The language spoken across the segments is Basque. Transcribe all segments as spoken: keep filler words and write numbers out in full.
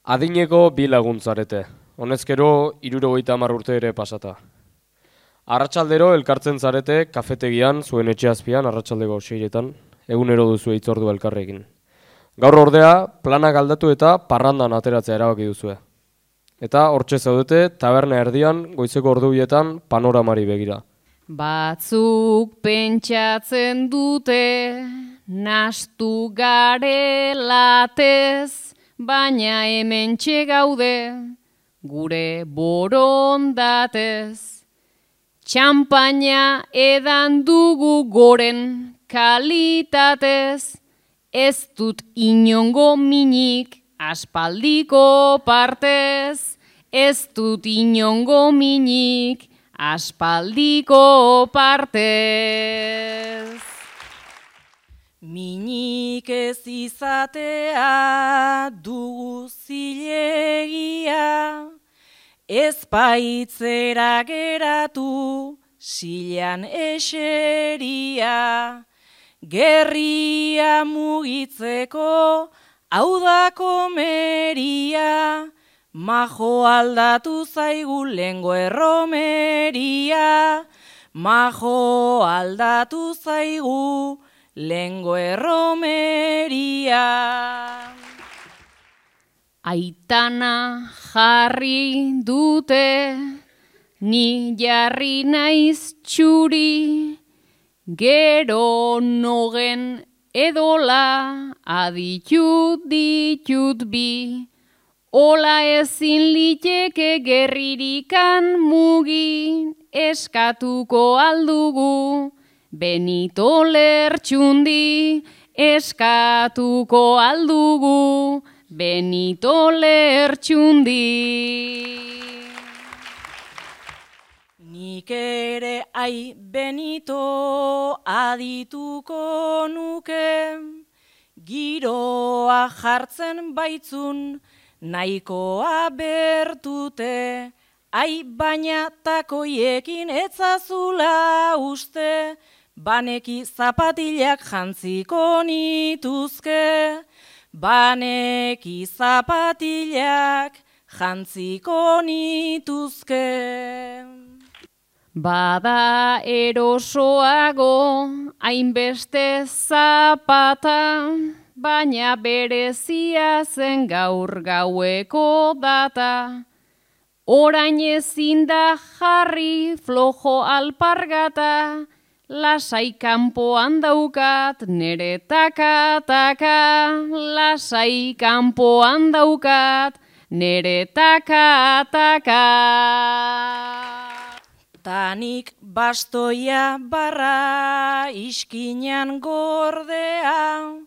Adineko bi laguntzarete, honezkero hirurogeita hamar urte ere pasata. Arratsaldero elkartzen zarete kafetegian zuen etxe azpian arratsaldeko seiretan, egunero duzu hitzordua elkarrekin. Gaur ordea, planak aldatu eta parrandan ateratzea erabaki duzue. Eta hortxe zaudete taberna erdian goizeko ordubietan panoramari begira. Batzuk pentsatzen dute, nastu garelatez, baina hementxe gaude, gure borondatez. Txampaina edan dugu goren kalitatez, ez dut inongo minik aspaldiko partez, ez dut inongo minik aspaldiko partez. Minik ez izatea dugu zilegia, ez baitzera geratu silean eseria, gerria mugitzeko hau da komeria, majo aldatu zaigu lengo erromeria, majo aldatu zaigu lengo erromeria. Aitana jarri dute, ni jarri naiz txuri, gero nogen edola aditut ditut bi, ola ezin liteke gerririkan mugi, eskatuko aldugu, Benito Lertxundi, eskatuko aldugu, Benito Lertxundi. Nik ere ai Benito adituko nuke, giroa jartzen baitzun nahikoa bertute, ai baina takoiekin etzazula uste, baneki zapatilak jantziko nituzke, baneki zapatilak jantziko nituzke. Bada erosoago hainbeste zapata, baina berezia zen gaur gaueko data. Orain ezin da jarri flojo alpargata, lasai kanpoan daukat nere taka-taka, lasai kanpoan daukat nere taka-taka. Tanik bastoia barra iskinan gordea,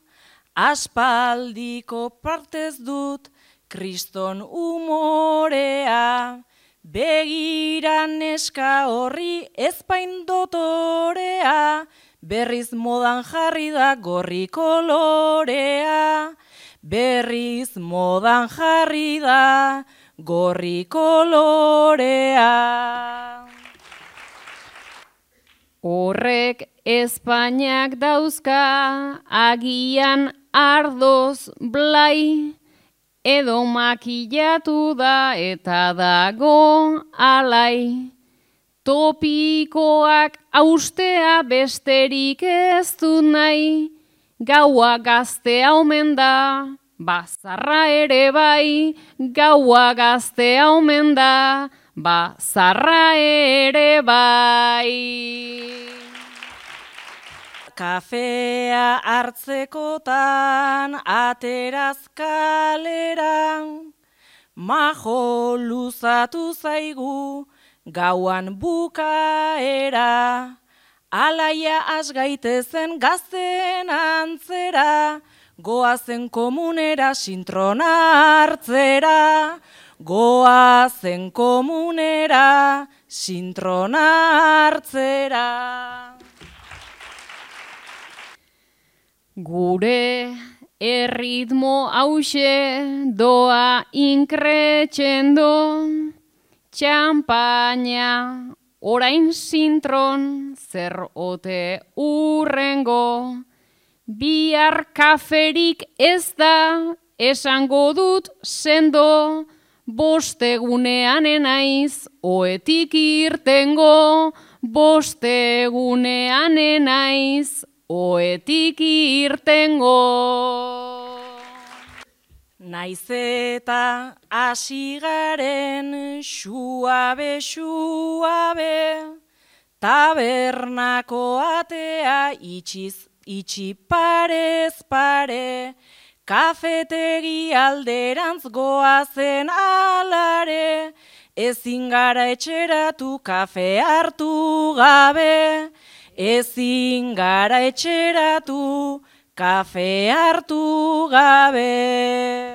aspaldiko partez dut kriston umorea, begira neska horri ezpain dotorea, berriz modan jarri da gorri kolorea, berriz modan jarri da gorri kolorea. Horrek Espainiak dauzka agian ardoz blai, edo makillatu da eta dago alai. Topikoak austea besterik ez du nahi, gaua gaztea omen da, bazarra ere bai, gaua gaztea omen da, bazarra ere bai. Kafea hartzekotan ateraz kalera, majo luzatu zaigu gauan bukaera, alaia asgaitezen gazten antzera, goazen komunera sintrona hartzera, goazen komunera sintrona hartzera. Gure erritmo hause doa inkretxendo, txampaina orain sintron zer ote urrengo, bihar kaferik ez da esango dut sendo, bostegunean enaiz, oetik irtengo, bostegunean enaiz, oetik irtengo. Naiz eta hasi garen suabe, suabe, tabernako atea itxiz, itxi parez pare, kafetegi alderantz goazen alare, ezin gara etxeratu kafe hartu gabe, ezin gara etxeratu kafe hartu gabe.